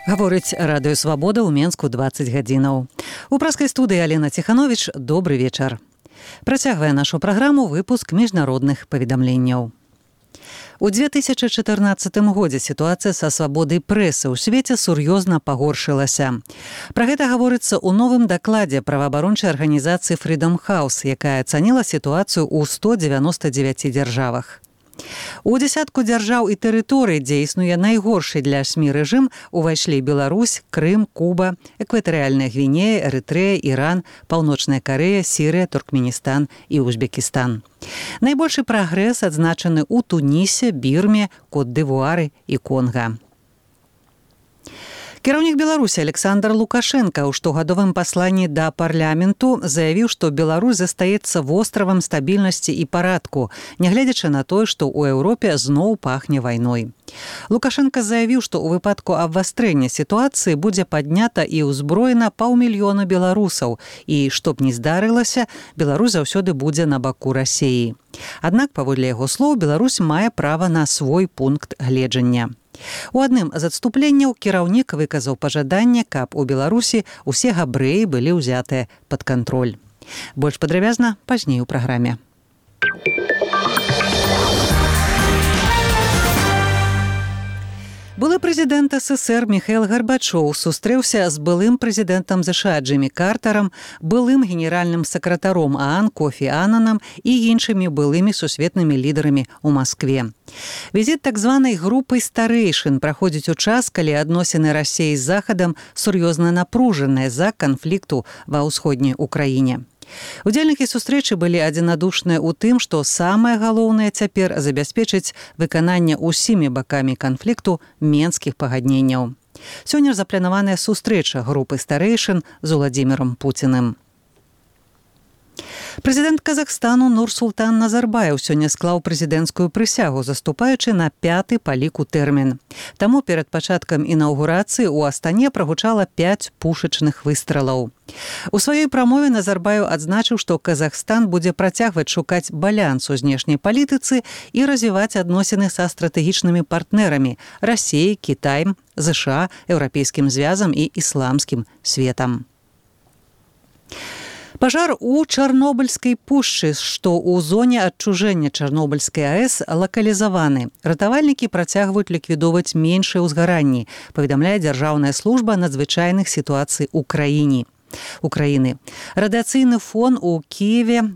Гаворыць радыё «Свабода» ў Менску 20 гадзінаў. У праскай студыі Алена Ціхановіч, добры вечар. Працягвае нашу праграму выпуск міжнародных паведамленняў. У 2014 годзе сітуацыя са свабодай прэсы ў свеце сур'ёзна пагоршылася. Пра гэта гаворыцца ў новым дакладзе праваабарончай арганізацыі Freedom House, якая ацаніла сітуацыю ў 199 дзяржавах. У дзясятку дзяржаў і тэрыторый, дзе існуе найгоршы для СМІ рэжым, увайшлі Беларусь, Крым, Куба, Экватарыяльная Гвінея, Эрытрэя, Іран, Паўночная Карэя, Сірыя, Туркменістан і Узбекістан. Найбольшы прагрэс адзначаны ў Тунісе, Бірме, Кот-д'Івуары і Конга. Кіраўнік Беларусі Александр Лукашенко ў штогадовым пасланні да парламенту заявіў, што Беларусь застаецца востравам стабільнасці і парадку, нягледзячы на тое, што ў Еўропе зноў пахне вайной. Лукашенко заявіў, што ў выпадку абвастрэння сітуацыі будзе паднята і ўзброена 500 000 беларусаў, і, што б ні здарылася, Беларусь заўсёды будзе на баку Расіі. Аднак, паводле яго слоў, Беларусь мае права на свой пункт гледжання. У адным з адступленняў кіраўнік выказаў пажаданне, каб у Беларусі усе габрэі былі ўзятыя пад кантроль. Больш падрабязна пазней у праграме. Былы прэзідэнт СССР Міхаіл Гарбачоў сустрэўся з былым прэзідэнтам ЗША Джиммі Картарам, былым генеральным сакратаром ААН Кофі Аннанам і іншымі былымі сусветнымі лідарамі ў Маскве. Візіт так званай групы старэйшын праходзіць у час, калі адносіны Расіі з Захадам сур'ёзна напружаныя з-за канфлікту ва ўсходняй Украіне. Удзельнікі сустрэчы былі адзінадушныя ў тым, што самае галоўнае цяпер забяспечыць выкананне ўсімі бакамі канфлікту менскіх пагадненняў. Сёння запланаваная сустрэча групы старэйшын з Уладзімірам Пуціным. Прэзідэнт Казахстану Нурсултан Назарбаев сёння склаў прэзідэнцкую прысягу, заступаючы на 5-ты па ліку тэрмін. Таму перад пачаткам інаўгурацыі ў Астане прагучала 5 пушачных выстралаў. У сваёй прамове Назарбаев адзначыў, што Казахстан будзе працягваць шукаць баланс у знешняй палітыцы і развіваць адносіны са стратэгічнымі партнерамі – Расіяй, Кітаем, ЗША, Еўрапейскім звязам і ісламскім светам. Пажар у Чарнобыльскай пушчы, што ў зоне адчужэння Чарнобыльскай АЭС, лакалізаваны. Ратавальнікі працягваюць ліквідоўваць меншыя ўзгаранні, паведамляе Дзяржаўная служба надзвычайных сітуацый ў краіне. Радыяцыйны фон у Кіеве